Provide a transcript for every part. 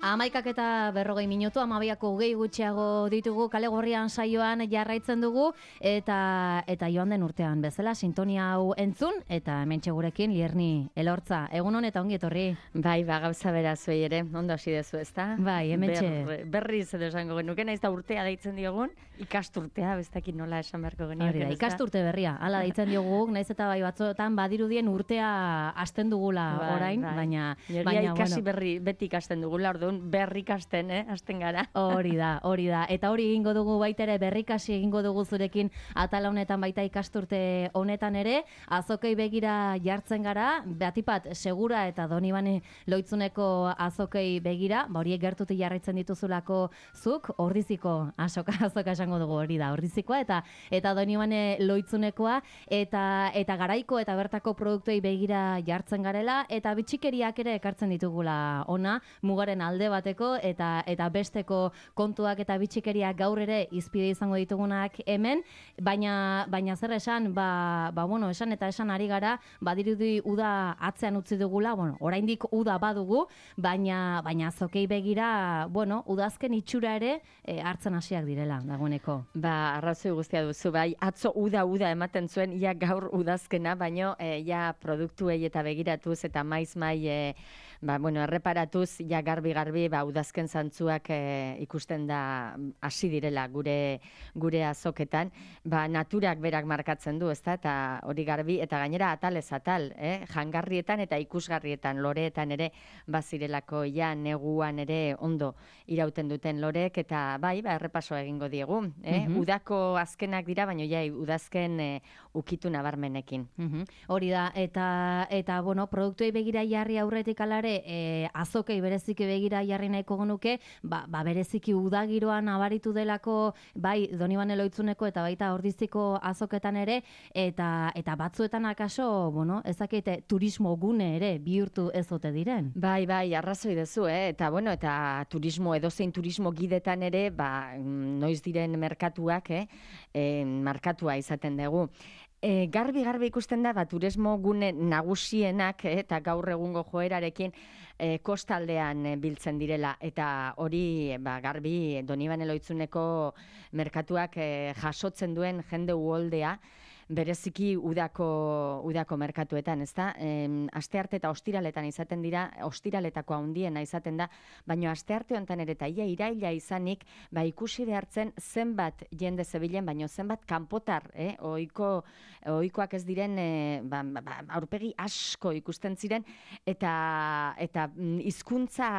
11:40 minutu, 12:20 gutxiago ditugu kale gorrian saioan jarraitzen dugu eta joan den urtean bezala sintonia hau entzun eta hementxe gurekin Lierni Elortza. Egunon eta ongi etorri. Bai, gauza bera zuei ere, ondo hasi dezu, ezta? Bai, hementxe. Berriz edo esango genuke, naiz da urtea deitzen diogun, ikasturtea, bestekin nola esan beharko genioke. Hori da, ikasturte berria, hala deitzen diogu, naiz eta bai batzuetan badirudien urtea hasten dugula orain, baina ikasi berri beti ikasten dugula, orduan berri ikasten, hasten gara. Hori da. Eta hori egingo dugu baita ere, berrikasi egingo dugu zurekin atala honetan baita ikasturte honetan ere, azokei begira jartzen gara, batipat Segura eta Donibane Loitzuneko azokei begira, horiek gertutik jarraitzen dituzulako zuk, Ordiziko azoka esango dugu, hori da, Ordizikoa eta Donibane Loitzunekoa, eta garaiko eta bertako produktuei begira jartzen garela, eta bitxikeriak ere ekartzen ditugula ona, mugaren alde bateko, eta besteko kontuak eta bitxikeriak gaur ere izpide izango ditugunak hemen, baina zer esan, esan eta esan ari gara, badirudi uda atzean utzi dugula, oraindik uda badugu, baina azokei begira, udazken itxura ere hartzen hasiak direla, dagoeneko. Arrazoi guztia duzu, bai, atzo uda ematen zuen, ia gaur udazkena, baino, ja produktuei eta begiratuz eta maiz erreparatuz, ja garbi, udazken zantzuak ikusten da hasi direla gure azoketan, naturak berak markatzen du, ezta, eta hori garbi, eta gainera atalez atal, jangarrietan eta ikusgarrietan, loreetan ere, bazirelako ja neguan ere ondo irauten duten lorek, eta errepaso egingo diegu, udako azkenak dira, baina ja udazken ukitu nabarmenekin. Hori da, eta produktuei begira jarri aurretik alare, azokei bereziki begira jarri nahiko genuke, bereziki udagiroan nabaritu delako, bai Donibane Loitzuneko eta baita Ordiziko azoketan ere, eta batzuetan akaso, ezakite turismo gune ere bihurtu ez ote diren. Bai, arrazoi dezu, eta turismo, edozein turismo gidetan ere, noiz diren merkatuak, markatua izaten dugu. Garbi ikusten da, turismo gune nagusienak eta gaur egungo joerarekin kostaldean biltzen direla, eta hori garbi Donibane Loitzuneko merkatuak jasotzen duen jende uholdea, bereziki udako merkatuetan, ezta? Astearte eta ostiraletan izaten dira, ostiraletako handiena izaten da, baina astearte honetan ere eta iraila izanik, ikusi behartzen zenbat jende zebilen, baina zenbat kanpotar, ohikoak ez diren, aurpegi asko ikusten ziren, eta hizkuntza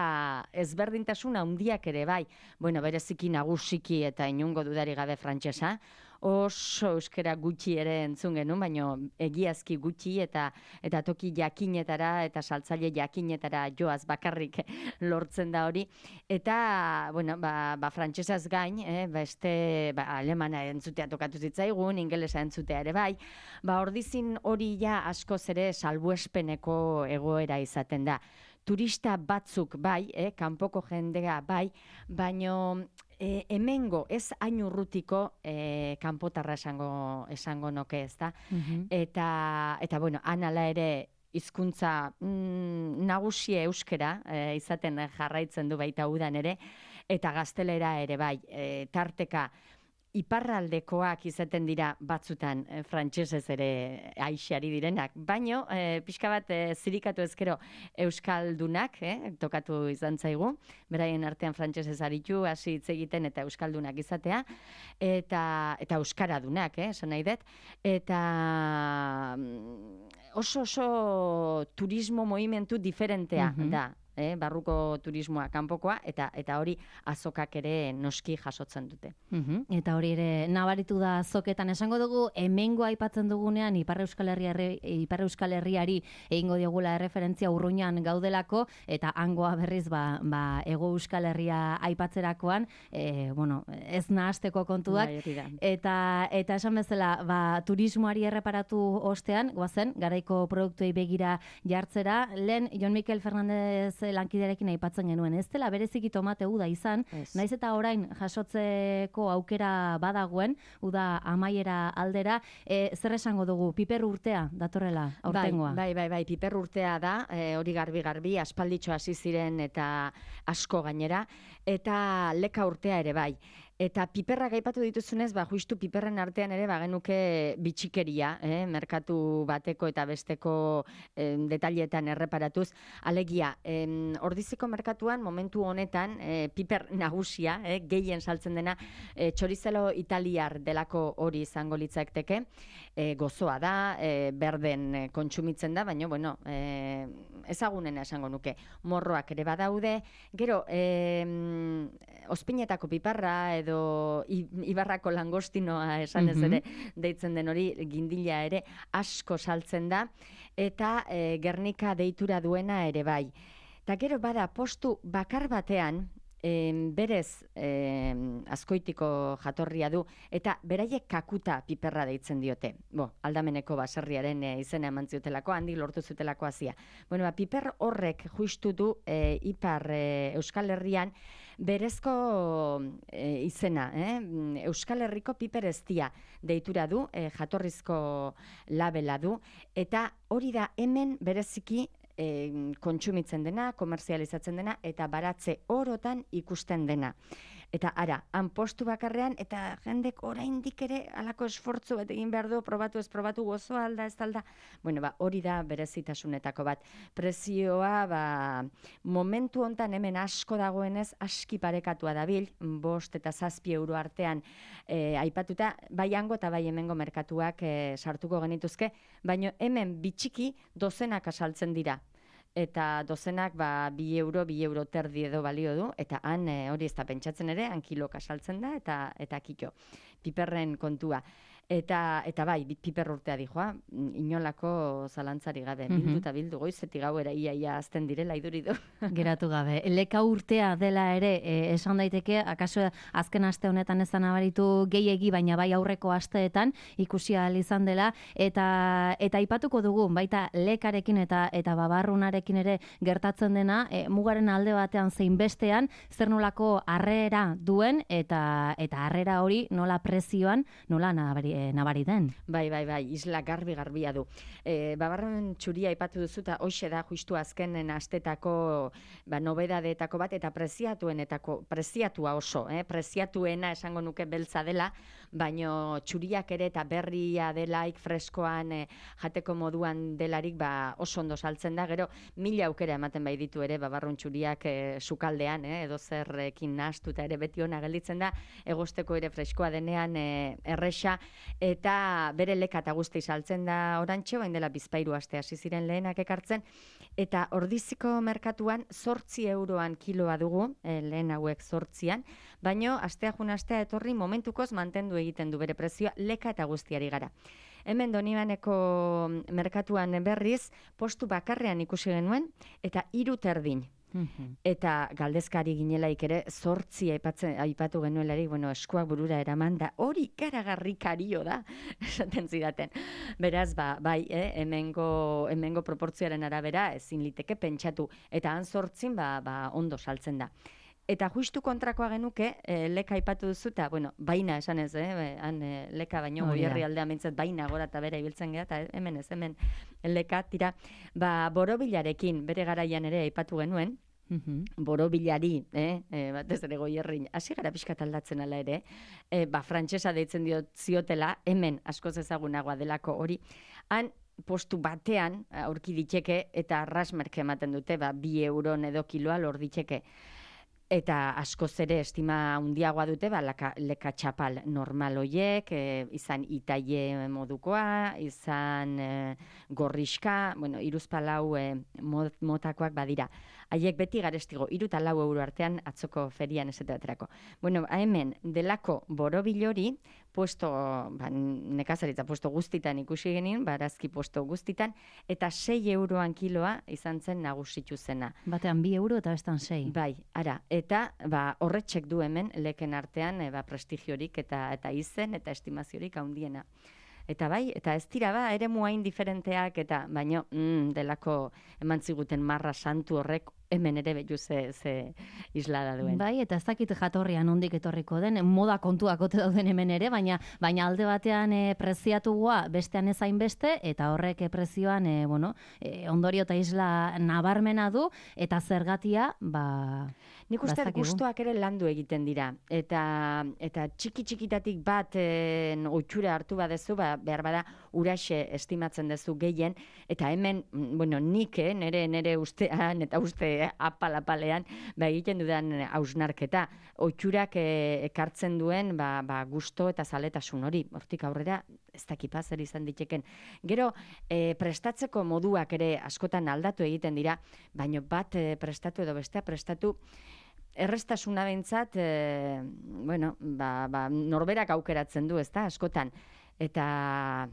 ezberdintasun handiak ere bai, bereziki nagusiki eta inungo dudari gabe frantsesa, oso euskera gutxi ere entzun genuen, baina egiazki gutxi eta toki jakinetara eta saltzaile jakinetara joaz bakarrik lortzen da hori. Eta, frantsesaz gain, beste alemana entzutea tokatu zitzaigun, ingelesa entzutea ere bai, Ordizin hori ja askoz ere salbuespeneko egoera izaten da. Turista batzuk bai, kanpoko jendea bai, baino hemengo ez hain urrutiko kanpotarra esango noke, ezta? Eta anala ere hizkuntza nagusia euskera izaten jarraitzen du baita udan ere, eta gaztelera ere bai, tarteka iparraldekoak izaten dira batzutan frantsesez ere aixari direnak, baino pixka bat zirikatu ezkero euskaldunak, tokatu izan zaigu, beraien artean frantsesez aritu, hasi hitz egiten eta euskaldunak izatea, eta euskaradunak, esan nahi dut, eta oso turismo movimentu diferentea da, barruko turismoa kanpokoa, eta hori azokak ere noski jasotzen dute. Eta hori ere nabaritu da azoketan, esango dugu, hemengo aipatzen dugunean Ipar Euskal Herriari egingo diogula erreferentzia urruñan gaudelako, eta hangoa berriz Hego Euskal Herria aipatzerakoan, ez nahasteko kontuak, eta esan bezala, turismoari erreparatu ostean, goazen, garaiko produktuei begira jartzera, lehen Jon Mikel Fernandez gure lankiderekin aipatzen genuen. Ez dela bereziki tomate uda izan, naiz eta orain jasotzeko aukera badagoen, uda amaiera aldera, zer esango dugu, piper urtea datorrela aurtengoa? Bai, piper urtea da, hori garbi, aspalditxo hasi ziren eta asko gainera, eta leka urtea ere bai. Eta piperrak aipatu dituzunez, justu piperren artean ere genuke bitxikeria, merkatu bateko eta besteko detailetan erreparatuz. Alegia, Ordiziko merkatuan momentu honetan piper nagusia, gehien saltzen dena, txorizelo italiar delako hori izango litzakteke, gozoa da, berden kontsumitzen da, baina, bueno, ezagunena esango nuke. Morroak ere badaude, gero, ospinetako piparra edo Ibarrako langostinoa esan ez ere deitzen den hori, gindila ere asko saltzen da, eta Gernika deitura duena ere bai. Eta gero bada postu bakar batean, berez Azkoitiko jatorria du, eta beraiek kakuta piperra deitzen diote. Aldameneko baserriaren izena eman ziotelako, handik lortu zutelako hazia. Piper horrek justu du Ipar Euskal Herrian berezko izena, Euskal Herriko piper eztia deitura du, jatorrizko labela du, eta hori da hemen bereziki kontsumitzen dena, komerzializatzen dena, eta baratze orotan ikusten dena. Eta ara, han postu bakarrean, eta jendek oraindik ere halako esfortzu bat egin behar du, probatu ez probatu, gozoa alda ez alda. Hori da berezitasunetako bat. Prezioa, momentu hontan hemen asko dagoenez, aski parekatua dabil, 5 eta 7 euro artean aipatuta, bai hango eta bai hemengo merkatuak sartuko genituzke, baina hemen bitxiki dozenak asaltzen dira. Eta dozenak 2 euro terdi edo balio du, eta han hori ez da pentsatzen ere, han kiloka saltzen da, eta kito, piperren kontua. Eta bai, piper urtea dijoa, inolako zalantzari gabe, bildu goizetik gauera ia azten direla iduridu. Geratu gabe. Leka urtea dela ere, esan daiteke, akaso azken aste honetan ez da nabaritu gehiegi, baina bai aurreko asteetan ikusi ahal izan dela, eta aipatuko dugu, baita lekarekin eta babarrunarekin ere gertatzen dena, mugaren alde batean zein bestean, zer nolako harrera duen, eta harrera hori nola prezioan, nola nabari den. Bai, isla garbia du. Babarrun txuria aipatu duzu, eta hoxe da justu azkenen astetako nobedadeetako bat, eta preziatua oso, preziatuena esango nuke beltza dela, baino txuriak ere eta berria delaik freskoan jateko moduan delarik oso ondo saltzen da, gero 1000 aukera ematen bai ditu ere babarrun txuriak sukaldean, edo zerrekin nahastuta ere beti ona gelditzen da, egosteko ere freskoa denean erresa, eta bere leka eta guzti saltzen da orantxe, bain dela 2 aste hasi ziren lehenak ekartzen, eta Ordiziko merkatuan 8 euroan kiloa dugu, lehen hauek 8an, baino astea etorri momentukoz mantendu egiten du bere prezioa leka eta guztiari gara. Hemen Donibaneko merkatuan berriz, postu bakarrean ikusi genuen, eta 3 terdin. Eta galdezkari ginelaik ere 8 aipatu genuelarik, eskuak burura eraman da, hori ikaragarrikario da, esaten zidaten. Beraz, bai, hemengo proportzioaren arabera ezin liteke pentsatu, eta han 8 ondo saltzen da. Eta justu kontrakoa genuke, leka aipatu duzu, eta, baina esan ez, han leka baino goierri aldea mintzat, baina gora eta bera ibiltzen geha, eta hemen leka, tira, borobilarekin, bere garaian ere aipatu genuen, borobilari, batez ere goierrin, hasi gara pixkat aldatzen ala ere, frantsesa deitzen ziotela, hemen askoz ezagunagoa delako hori, han postu batean aurki diteke, eta arrasmerke ematen dute, 2 euron edo kiloa lor diteke. Eta askoz ere estima handiagoa dute, leka txapal normal hoiek, izan itaie modukoa, izan gorriska, 3-4 motakoak badira. Haiek beti garestigo, 3 eta 4 euro artean atzoko ferian esaterako. Hemen delako borobilori, nekazaritza puesto guztitan ikusi genin, barazki puesto guztitan, eta 6 euroan kiloa izan zen nagusitu zena. Batean 2 euro eta bestan 6. Bai, ara, eta horretxek du hemen leken artean prestigiorik eta izen eta estimaziorik handiena. Eta bai, eta ez dira ere muain diferenteak, eta baino delako eman ziguten marra santu horrek hemen ere behu ze islada duen. Bai, eta ez dakit jatorrian nondik etorriko den, moda kontuak ote dauden hemen ere, baina alde batean preziatua bestean ezain beste, eta horrek prezioan ondorio eta isla nabarmena du, eta zergatia, nik uste gustuak ere landu egiten dira, eta txiki-txikitatik bat oitxura hartu badezu, behar bada uraxe estimatzen dezu gehien, eta hemen, nik nire ustean, eta uste apal-apalean, egiten dudan hausnarketa, oitxurak ekartzen duen gusto eta zaletasun hori, hortik aurrera, ez dakipa zer izan diteken. Gero, prestatzeko moduak ere askotan aldatu egiten dira, baina bat prestatu edo bestea prestatu, errestasuna behintzat, norberak aukeratzen du, ezta, askotan. Eta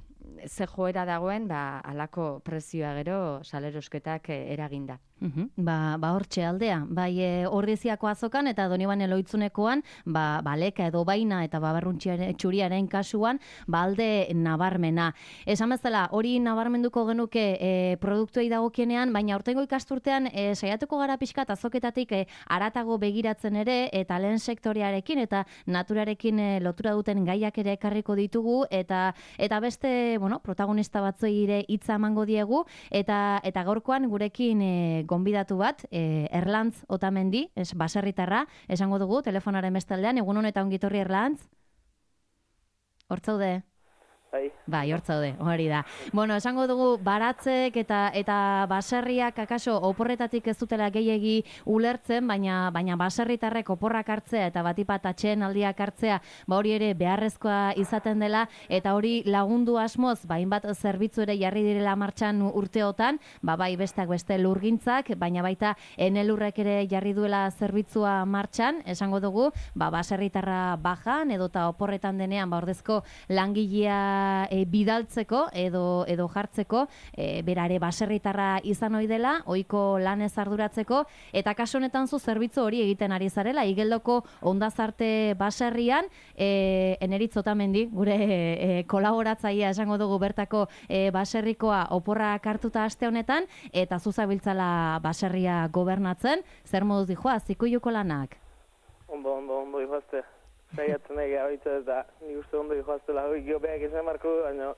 ze joera dagoen, halako prezioa gero salerosketak eraginda. Hortxe aldea, bai Ordiziako azokan eta Donibane Loitzunekoan, leka edo baina eta babarrun txuriaren kasuan, alde nabarmena. Esan bezala, hori nabarmenduko genuke produktuei dagokienean, baina aurtengo ikasturtean saiatuko gara pixkat azoketatik haratago begiratzen ere, eta lehen sektorearekin eta naturarekin lotura duten gaiak ere ekarriko ditugu, eta beste, protagonista batzuei ere hitza emango diegu, eta gaurkoan gurekin gonbidatu bat, Erlantz Otamendi, baserritarra, esango dugu, telefonaren bestaldean, egun honetan ongitorri Erlantz? Hortzaude? Bai, hortzaude, hori da. Esango dugu, baratzek eta baserriak akaso oporretatik ez dutela gehiegi ulertzen, baina baserritarrek oporrak hartzea eta batipat atxeen aldiak hartzea, hori ere beharrezkoa izaten dela, eta hori lagundu asmoz, hainbat zerbitzu ere jarri direla martxan urteotan, bai besteak beste lurgintzak, baina baita enelurrek ere jarri duela zerbitzua martxan, esango dugu, baserritarra bajan, edota oporretan denean, ordezko langilea bidaltzeko edo jartzeko, berare baserritarra izan ohi dela, ohiko lanez arduratzeko, eta kasu honetan zu zerbitzu hori egiten ari zarela, Igeldoko Ondazarte baserrian, Eneritz Otamendi, gure kolaboratzailea esango dugu bertako baserrikoa oporrak hartuta aste honetan, eta zuzabiltzala baserria gobernatzen, zer moduz dijoa, zikuiuko lanak? Ondo dijoazte. Zaiatzen egia baita eta nik uste ondo joaztela geopeak izan marko, baina...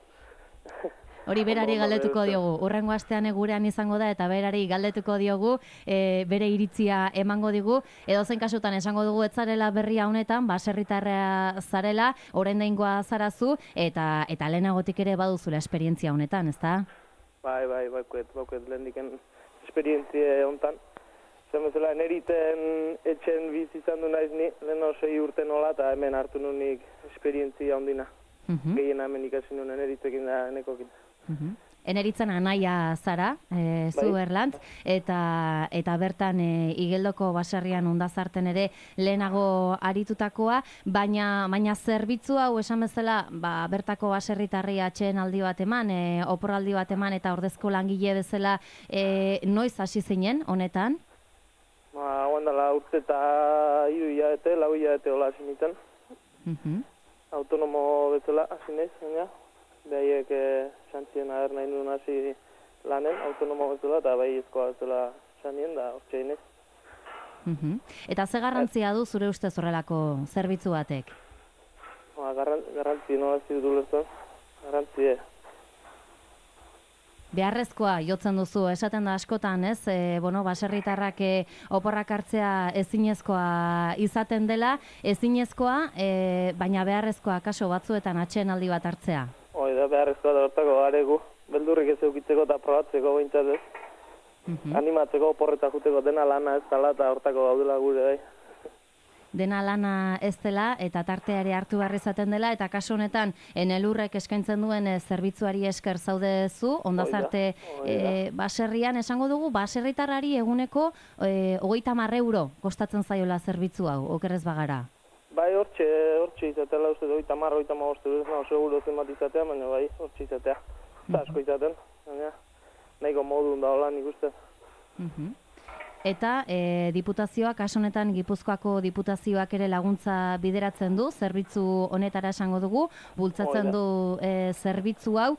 Hori berari galdetuko diogu, urrengo astean gurean izango da eta berari galdetuko diogu, bere iritzia emango digu, edo zen kasutan esango dugu ez zarela berria honetan, baserritarra zarela, oraindaingoa zarazu, eta lehenagotik ere baduzula esperientzia honetan, ezta? Bai, bauket lehendiken esperientzia honetan. Zer bezala, neriten etxen bizi izan du naiz ni, lehen 6 urte nola, eta hemen hartu nunik esperientzia ondina. Gehiena hemen ikasi nuen eneritzekin da nekokin. Eneritzen anaia zara, zu Erlantz, eta bertan Igeldoko baserrian Ondazarten ere lehenago aritutakoa, baina zerbitzu hau esan bezala, bertako baserritarri atxeen aldi bat eman, oporraldi bat eman, eta ordezko langile bezala noiz hasi zinen honetan? Guandala urte eta 3 hilabete, 4 hilabete hola hasi nintzen. Autonomo bezala hasi naiz, baina behaiek xantzien aher nahi duen hasi lanen, autonomo bezala, eta bai ezkoa bezala xanien, da hortxe inez. Eta ze garrantzia du zure ustez horrelako zerbitzu batek? Garrantzi, no ez dut ulertzen, garrantzi. Beharrezkoa jotzen duzu, esaten da askotan, ez? Baserritarrak oporrak hartzea ezinezkoa izaten dela, ezinezkoa, baina beharrezkoa kaso batzuetan atxeen aldi bat hartzea. Hoi da, beharrezkoa da hortako garegu, beldurrik ez eukitzeko eta probatzeko behintzat ez. Animatzeko oporreta juteko dena lana ez dela eta hortako gaudela gure bai. Dena lana ez dela eta tarteare hartu behar izaten dela, eta kasu honetan Enelurrek eskaintzen duen zerbitzuari esker zaudezu, Ondazarte baserrian, esango dugu, baserritarrari eguneko 30 euro kostatzen zaiola zerbitzu hau, okerrez bagara. Bai, hortxe izatela, uste 30-35 euro, seguro zenbat izatea, baina bai, hortxe izatea. Eta asko izaten, baina nahiko modun da hola nik uste. Eta diputazioak, kasu honetan Gipuzkoako diputazioak ere laguntza bideratzen du, zerbitzu honetara esango dugu, bultzatzen du zerbitzu hau.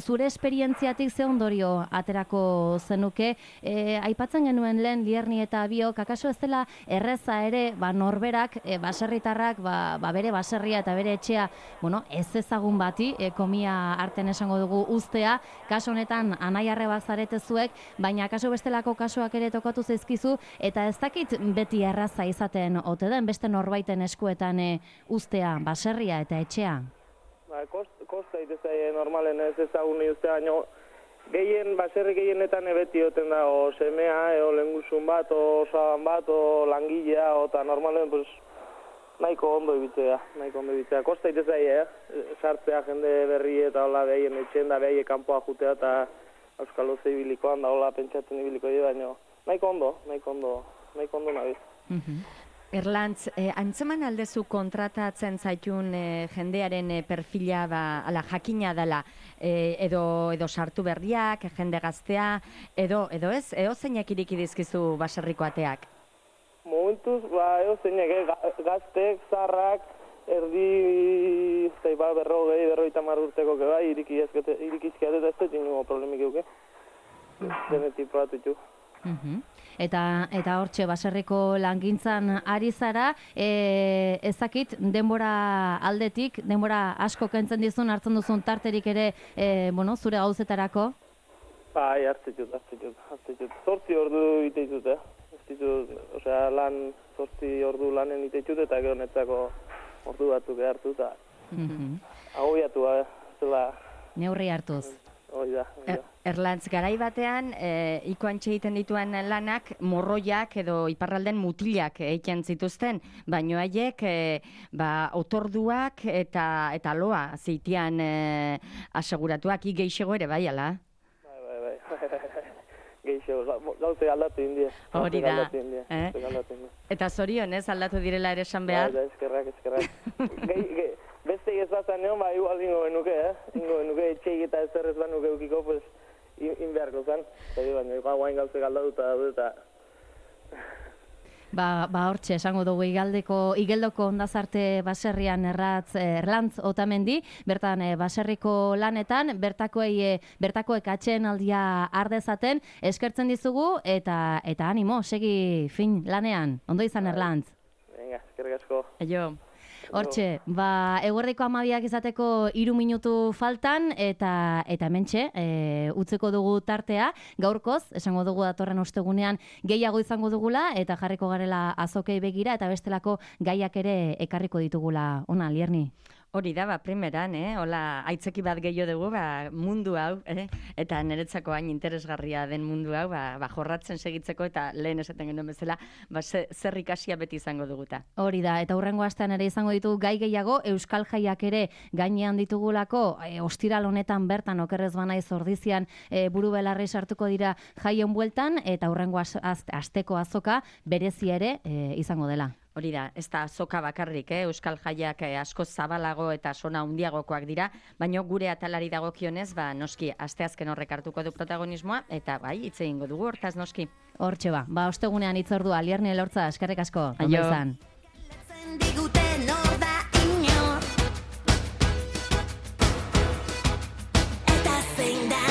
Zure esperientziatik ze ondorio aterako zenuke? Aipatzen genuen lehen Lierni eta biok, akaso ez dela erreza ere norberak, baserritarrak, bere baserria eta bere etxea, ez ezagun bati, komia arten esango dugu uztea, kasu honetan anaiarrebak zarete zuek, baina akaso bestelako kasuak ere tokatu zaizkizu, eta ez dakit beti erraza izaten ote den beste norbaiten eskuetan uztea, baserria eta etxea. Kosta itezai normalen ez ezagun uztea, baina baserri gehienetan beti oten da, o semea, o lengusun bat, o osaban bat, o langilea, eta normalen nahiko ondo ibitzea. Kosta itezai, sartzea jende berri eta hola behien etxen da, behie kanpoa jutea eta Euskal Oze ibilikoan da, hola pentsatzen ibiliko dira, baina nahiko ondo nabiz. Erlantz, antzeman aldezu kontratatzen zaitun jendearen perfila jakina dela, edo sartu berriak, jende gaztea, edo ez, zeinak iriki dizkizu baserriko ateak? Momentuz, zeinak, gaztek, zarrak, erdi, berrogeita urteko bai, irikizkiat eta ez dut ingo problemik euke. Denetik probatutu. Eta hortxe, baserriko langintzan ari zara, ezakit denbora aldetik, denbora asko kentzen dizun, hartzen duzun tarterik ere, zure gauzetarako? Bai, hartzen dut. 8 ordu iteitut, lan 8 ordu lanen iteitut, eta gero netzako ordu batzuk hartu, eta agobiatu, zela... Neurri hartuz. Erlantz, garai batean, ikoantxe egiten dituen lanak, morroiak edo iparralden mutilak egiten zituzten, baino haiek otorduak eta loa zitian aseguratuak, geixego ere bai, ala? Bai. Geixego, gauze aldatu indie. Hori da. Eta zorionez aldatu direla ere esan behar? Bai, eskerrak. Beste egezazan neon, igual ingo benuke, etxeik eta ez zerrez banuke eukiko, inbeharko zen. Baina, guain gauze galdatuta daude eta... Hortxe, esango dugu igeldoko ondazarte baserrian Erlantz Otamendi, bertan baserriko lanetan, bertakoek atxeen aldia ardezaten, eskertzen dizugu eta animo, segi fin lanean. Ondo izan, Erlantz? Venga, eskerrik asko. Hortxe, eguerdiko 12 izateko 3 minutu faltan, eta hementxe, utzeko dugu tartea, gaurkoz, esango dugu datorren ostegunean gehiago izango dugula, eta jarriko garela azokei begira, eta bestelako gaiak ere ekarriko ditugula, ona, Lierni? Hori da, primeran, hola, aitzeki bat gehiago dugu, mundu hau, eta niretzako hain interesgarria den mundu hau, jorratzen segitzeko, eta lehen esaten genuen bezala, zer ikasia beti izango duguta. Hori da, eta hurrengo astean ere izango ditugu gai gehiago, euskal jaiak ere gainean ditugulako, ostiral honetan bertan, okerrez banaiz ordizian, buru belarri sartuko dira jaien bueltan, eta hurrengo asteko azoka berezi ere izango dela. Hori da, ez da azoka bakarrik, euskal jaiak asko zabalago eta sona handiagokoak dira, baina gure atalari dagokionez, noski, asteazken horrek hartuko du protagonismoa, eta hitz egingo dugu, hortaz noski. Hortxe ostegunean hitzordua, Lierni Elortza, eskerrik asko. Ondo izan.